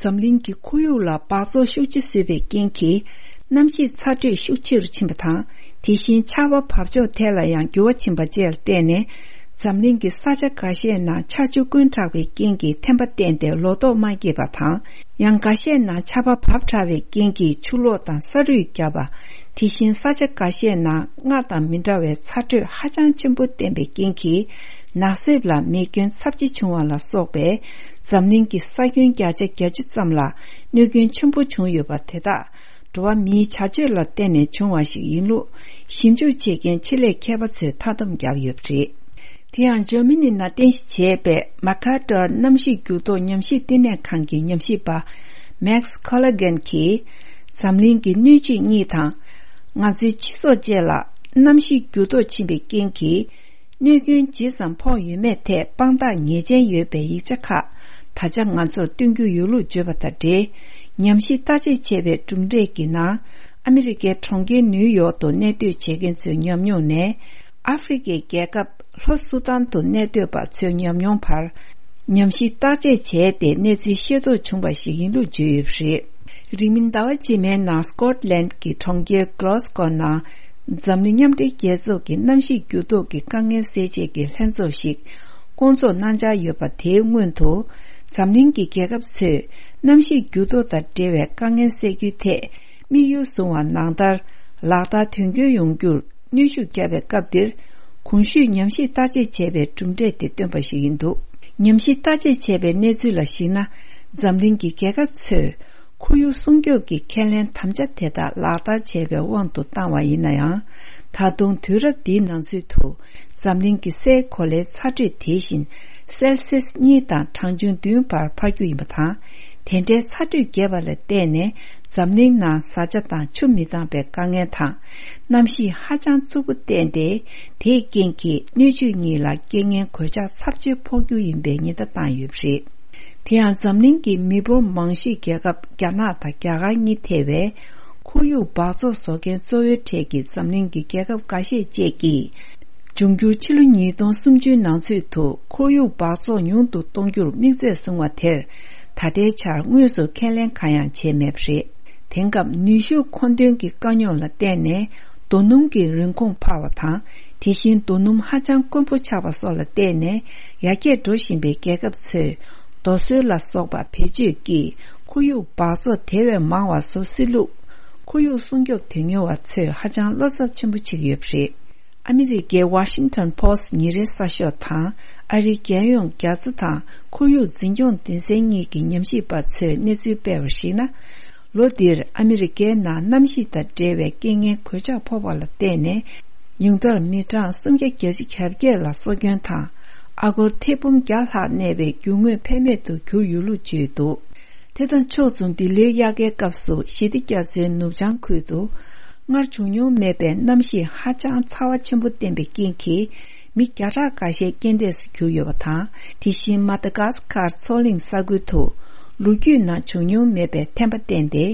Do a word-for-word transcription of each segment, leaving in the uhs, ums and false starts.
འཛམ་གླིང་གི་ཁོར་ཡུག་ལ་འབག་བཙོག་ཤུགས་ཆེ་བཟོས་པའི་རྐྱེན་གྱིས། གནམ་གཤིས་ཚ་དྲོད་ཤུགས་ཆེ་རུ་ཕྱིན་པ་དང་། དེ་བཞིན་ཆར་པ་བབས་ཕྱོགས་ཐད་ལ་ཡང་འགྱུར་བ་ཕྱིན་པ་བཅས་ལ་བརྟེན་ནས། འཛམ་གླིང་གི་ས་ཆ་འགའ་ཤས་ནང་ཆར་ཆུ་དཀོན་དྲགས་པའི་རྐྱེན་གྱིས་ཐན་པ་བསྟན་ཏེ་ལོ་ཏོག་མ་སྐྱེས་པ་དང་། ཡང་འགའ་ཤས་ནང་ཆར་པ་བབས་དྲགས་པའི་རྐྱེན་གྱིས་ཆུ་ལོག་དང་ས་རུད་བརྒྱབ་པ། དེ་བཞིན་ས་ཆ་འགའ་ཤས་ནང་སྔར་དང་མི་འདྲ་བའི་ཚ་དྲོད་ཧ་ཅང་ཆེན་པོ་བསྟན་པའི་རྐྱེན་གྱིས། ནགས་གསེབ་ལ་མེ་སྐྱོན་ཚབས་ཆེ་བྱུང་བ་ལ་སོགས་པའི་འཛམ་གླིང་གི་ས་ཁྱོན་བརྒྱ་ཆ་བརྒྱད་ཅུ་ཙམ་ལ་གནོད་སྐྱོན་ཆེན་པོ་བྱུང་ཡོད་པ་དེ་དག་འགྲོ་བ་མིའི་བྱ་སྤྱོད་ལ་བརྟེན་ནས་བྱུང་བ་ཞིག་ཡིན་ལུགས་ཞིབ་འཇུག་བྱེད་མཁན་ཆེད་ལས་མཁས་པ་ཚོས་མཐའ་སྡོམ་བརྒྱབ་ཡོད་པ་རེད། དེ་ཡང་འཇར་མ་ནི་ནང་རྟེན་གཞི་བྱས་པའི་མ་ཁ་ཏར་གནམ་གཤིས་འགྱུར་ལྡོག་ཉམས་ཞིབ་བསྟི་གནས་ཁང་གི་ཉམས་ཞིབ་པ་མེག་སི་ཁོ་ལ་གྷན་གྱིས། འཛམ་གླིང་གི་སྣོད་བཅུད་གཉིས་དང་། ང་ཚོའི་སྤྱི་ཚོགས་བཅས་ལ་གནམ་གཤིས་འགྱུར་ལྡོག་ཕྱིན་པའི་རྐྱེན་གྱིས། གནོད་སྐྱོན་ཇི་ཙམ་ཕོག་ཡོད་མེད་ཐད་དཔང་རྟགས་ངེས་ཅན་ཡོད་པའི་ཡིག་ཆ་ཁག་ད་ཆ་ང་ཚོར་སྟོན་རྒྱུ་ཡོད་ལུགས་བརྗོད་པ་དང་འབྲེལ། ཉམས་ཞིབ་བརྟག་དཔྱད་བྱས་པའི་གྲུབ་འབྲས་ཀྱི་ནང་། ཨ་མི་རི་ཀའི་གྲོང་ཁྱེར་ནིའུ་ཡོག་ཏུ་གནས་སྡོད་བྱེད་མཁན་ཚོའི་ཉམས་མྱོང་ནས། ཨ་ཧྥེ་རི་ཀའི་རྒྱལ་ཁབ་ལྷོ་སུ་དཱན་དུ་གནས་སྡོད་པ་ཚོའི་ཉམས་མྱོང་བར། ཉམས་ཞིབ་བརྟག་དཔྱད་བྱས་ཏེ་གནས་ཚུལ་ཤེས་རྟོགས་བྱུང་བ་ཞིག་ཡིན་ལུགས་བརྗོད་ཡོད་པ་རེད། རིང་མིན་ཟླ་བ་རྗེས་མའི་ནང་སྐོཊ་ལན་གྱི་གྲོང་ཁྱེར་གྷི་ལོ་སི་ཀོ་ནང་། འཛམ་གླིང་མཉམ་འབྲེལ་རྒྱལ་ཚོགས་ཀྱི་གནམ་གཤིས་འགྱུར་ལྡོག་གི་དཀའ་ངལ་སེལ་ཆེད་ཀྱི་ལྷན་ཚོགས་ཤིག་བསྐོང་ཚོགས་གནང་འཆར་ཡོད་པ་དེའི་སྔོན་དུ། འཛམ་གླིང་གི་རྒྱལ་ཁབ་ཚོས་གནམ་གཤིས་འགྱུར་ལྡོག་དང་འབྲེལ་བའི་དཀའ་ངལ་སེལ་རྒྱུའི་ཐད་དམིགས་ཡུལ་བཟུང་བ་ནང་ལྟར་ལག་བསྟར་དོན་འཁྱོལ་ཡོང་རྒྱུར་གནོན་ཤུགས་བརྒྱབ་པའི་སྐབས་འདིར། གོང་ཞུས་ཉམས་ཞིབ་བརྟག་དཔྱད་བྱས་པའི་གྲུབ་འབྲས་དེ་བཏོན་པ་ཞིག་ཡིན་འདུག་ཉམས་ཞིབ་བརྟག་དཔྱད་བྱས་པའི་གནས་ཚུལ་ལ་གཞིགས་ན། འཛམ་གླིང་གི་རྒྱལ་ཁབ་ཚོས་ཁོར་ཡུག་སྲུང་སྐྱོབ་ཀྱི་ཁས་ལེན་དམ་བཅའ་དེ་དག་ལག་བསྟར་བྱས་པའི་དབང་དུ་བཏང་བ་ཡིན་ན་ཡང་། ད་དུང་དུས་རབས་འདིའི་ནང་ཚུད་དུ། འཛམ་གླིང་གི་སའི་གོ་ལའི་ཚ་དྲོད་དེ་བཞིན་སེལ་སིས་གཉིས་དང་གྲངས་ཆུང་བདུན་བར་འཕར་རྒྱུ་ཡིན་པ་དང་། དེ་འདྲའི་ཚ་དྲོད་རྒྱས་པ་ལ་བརྟེན་ནས་འཛམ་གླིང་ནང་བཟའ་བཅའ་དང་ཆུ་མི་འདང་པའི་དཀའ་ངལ་དང་། གནམ་གཤིས་ཧ་ཅང་རྩུབ་པོ་བསྟན་ཏེ། དེའི་རྐྱེན་གྱིས་སྣོད་བཅུད་གཉིས་ལ་རྐྱེན་ངན་གོད་ཆག་ཚབས་ཆེ་ཕོག་རྒྱུ་ཡིན་པའི་ཉེན་བརྡ་བཏང་ཡོད་པ་རེད། དེ་ཡང་འཛམ་གླིང་གི་མི་འབོར་མང་ཤོས་རྒྱལ་ཁབ་རྒྱ་ནག་དང་རྒྱ་གར་གཉིས་ཐེ་བའི་ཁོར་ཡུག་འབག་བཙོག་བཟོ་མཁན་གཙོ་བོའི་གྲས་ཀྱི་འཛམ་གླིང་གི་རྒྱལ་ཁབ་འགའ་ཤས་བཅས་ཀྱིས། འབྱུང་འགྱུར་ཕྱི་ལོ་ཉིས་སྟོང་སུམ་ཅུའི་ནང་ཚུད་དུ་ཁོར་ཡུག་འབག་བཙོག་ཉུང་དུ་གཏོང་རྒྱུར་དམིགས་ཚད་བཟུང་བ་དེར། ད་ལྟའི་ཆར་དངོས་སུ་ཁས་ལེན་གང་ཡང་བྱས་མེད་པ་རེད། དེང་སྐབས་ནུས་ཤུགས་མཁོ་འདོན་གྱི་དཀའ་རྙོག་ལ་བརྟེན་ནས་རྡོ་སྣུམ་གྱི་རིན་གོང་འཕར་བ་དང་། དེ་བཞིན་རྡོ་སྣུམ་ཧ་ཅང་དཀོན་པོ་ཆགས་པ་སོགས་ལ་བརྟེན་ནས་ཡར་རྒྱས་འགྲོ་བཞིན་པའི་རྒྱལ་ཁབ་ཚོས་རྡོ་སོལ་ལ་སོགས་པ་བེད་སྤྱོད་ཀྱིས་ཁོར་ཡུག་འབག་བཙོག་དེ་བས་མང་བ་བཟོ་སྲིད་ལུགས། ཁོར་ཡུག་སྲུང་སྐྱོབ་དོན་གཉེར་བ་ཚོས་ཧ་ཅང་བློ་འཚབ་ཆེན་པོ་བྱེད་ཀྱི་ཡོད་པ་རེད། ཨ་མི་རི་ཀའི་Washington Post་ཉིན་རེའི་གསར་ཤོག་དང་ཨ་རིའི་རྒྱལ་ཡོངས་རྒྱ་མཚོ་དང་ཁོར་ཡུག་འཛིན་སྐྱོང་སྡེ་ཚན་གཉིས་ཀྱི་ཉམས་ཞིབ་པ་ཚོས་གནས་ཚུལ་སྤེལ་བར་གཞིགས་ན། ལོ་འདིར་ཨ་མི་རི་ཀའི་ནང་གནམ་གཤིས་དང་འབྲེལ་བའི་རྐྱེན་ངན་གོད་ཆག་ཕོག་པ་ལ་བརྟེན་ནས། ཉུང་མཐར་མི་གྲངས་སུམ་བརྒྱ་བརྒྱད་ཅུ་གྱ་བརྒྱད་ལ་སྲོག་སྐྱོན་དང་། ཨ་སྒོར་ཐེར་འབུམ་བརྒྱ་ལྷག་གནས་པའི་རྒྱུ་དངོས་ཕན་མེད་དུ་གྱུར་ཡོད་ལུགས་བརྗོད་འདུག་དེ་དང་ཕྱོགས་མཚུངས། འདི་ལོའི་དབྱར་ཁའི་སྐབས་སུ་ཞི་བདེ་རྒྱ་མཚོའི་ནུབ་བྱང་ཁུལ་དུ་སྔར་བྱུང་མྱོང་མེད་པའི་གནམ་གཤིས་ཧ་ཅང་ཚ་བ་ཆེན་པོ་བསྟན་པའི་རྐྱེན་གྱིས། མི་བརྒྱ་ཕྲག་འགའ་ཤས་རྐྱེན་འདས་སུ་གྱུར་ཡོད་པ་དང་། དེ་བཞིན་མ་ད་གཱ་སི་ཀར་མཚོ་གླིང་ས་ཁུལ་དུ་ལོ་རྒྱུས་ནང་བྱུང་མྱོང་མེད་པའི་ཐན་པ་བསྟན་ཏེ།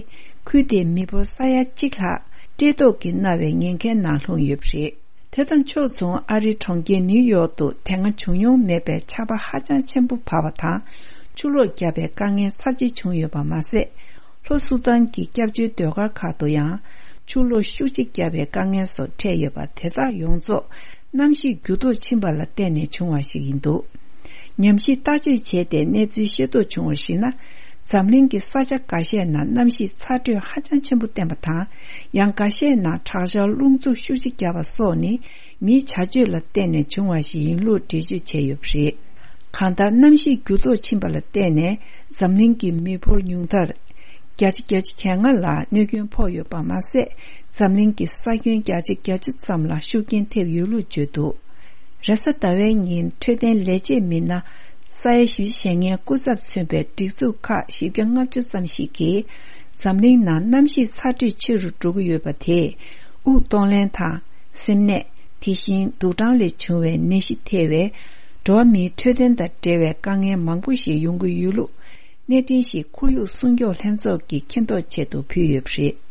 ཁུལ་དེའི་མི་འབོར་ས་ཡ་གཅིག་ལྷག་བཀྲེས་ལྟོགས་ཀྱིས་མནར་བའི་ཉེན་ཁའི་ནང་ལྷུང་ཡོད་པ་རེད། དེ་དང་ཕྱོགས་མཚུངས། ཨ་རིའི་གྲོང་ཁྱེར་ནིའུ་ཡོག་ཏུ་དེ་སྔ་བྱུང་མྱོང་མེད་པའི་ཆར་པ་ཧ་ཅང་ཆེན་པོ་བབས་པ་དང་། ཆུ་ལོག་བརྒྱབ་པའི་དཀའ་ངལ་ཚབས་ཆེ་བྱུང་ཡོད་པ་མ་ཟད། ལྷོ་སུ་དཱན་གྱི་སྐྱབས་བཅོལ་སྡོད་སྒར་ཁག་ཏུ་ཡང་ཆུ་ལོག་ཤུགས་ཆེ་བརྒྱབ་པའི་དཀའ་ངལ་སོགས་འཕྲད་ཡོད་པ། དེ་དག་ཡོངས་རྫོགས་གནམ་གཤིས་འགྱུར་ལྡོག་ཕྱིན་པ་ལ་བརྟེན་ནས་བྱུང་བ་ཞིག་ཡིན་འདུག་ཉམས་ཞིབ་བརྟག་དཔྱད་བྱས་ཏེ་གནས་ཚུལ་ཤེས་རྟོགས་བྱུང་བར་གཞིགས་ན། འཛམ་གླིང་གི་ས་ཆ་འགའ་ཤས་ནང་གནམ་གཤིས་ཚ་དྲོད་ཧ་ཅང་ཆེན་པོ་བསྟན་པ་དང་། ཡང་འགའ་ཤས་ནང་དྲག་ཆར་རླུང་འཚུབ་ཤུགས་ཆེ་བརྒྱབ་པ་སོགས་ནི་མིའི་བྱ་སྤྱོད་ལ་བརྟེན་ནས་བྱུང་བ་ཞིག་ཡིན་ལུགས་འགྲེལ་བརྗོད་བྱས་ཡོད་པ་རེད། གང་ལྟར། གནམ་གཤིས་འགྱུར་ལྡོག་ཕྱིན་པ་ལ་བརྟེན་ནས་འཛམ་གླིང་གི་མི་འབོར་ཉུང་མཐར་བརྒྱ་ཆ་བརྒྱད་ཅུ་གྱ་ལྔ་ལ་གནོད་སྐྱོན་ཕོག་ཡོད་པ་མ་ཟད། འཛམ་གླིང་གི་ས་ཁྱོན་བརྒྱ་ཆ་བརྒྱད་ཅུ་ཙམ་ལ་ཤུགས་རྐྱེན་ཐེབས་ཡོད་ལུགས་བརྗོད་འདུག་རེས་གཟའ་ཟླ་བའི་ཉིན་འཕྲོད་བསྟེན་ལས་བྱེད་མི་སྣ་ས་ཡ་བཞི་བཅུ་ཞེ་ལྔའི་སྐུ་ཚབ་མཚོན་པའི་སྒྲིག་འཛུགས་ཁག་བཞི་བརྒྱ་ལྔ་བཅུ་ཙམ་ཞིག་གིས། འཛམ་གླིང་ནང་གནམ་གཤིས་ཚ་དྲོད་ཆེ་རུ་འགྲོ་གི་ཡོད་པ་དེས། དབུགས་གཏོང་ལེན་དང་། སེམས་ནད། དེ་བཞིན་དུག་སྦྲང་ལས་བྱུང་བའི་ནད་གཞི་ཐེ་བའི་འགྲོ་བ་མིའི་འཕྲོད་བསྟེན་དང་འབྲེལ་བའི་དཀའ་ངལ་མང་པོ་ཞིག་ཡོང་གི་ཡོད་ལུགས། གནས་འཕྲིན་ཞིག་ཁོར་ཡུག་སྲུང་སྐྱོབ་ལྷན་ཚོགས་ཀྱིས་མཁྱེན་རྟོགས་ཆེད་དུ་ཕུལ་ཡོད་པ་རེད།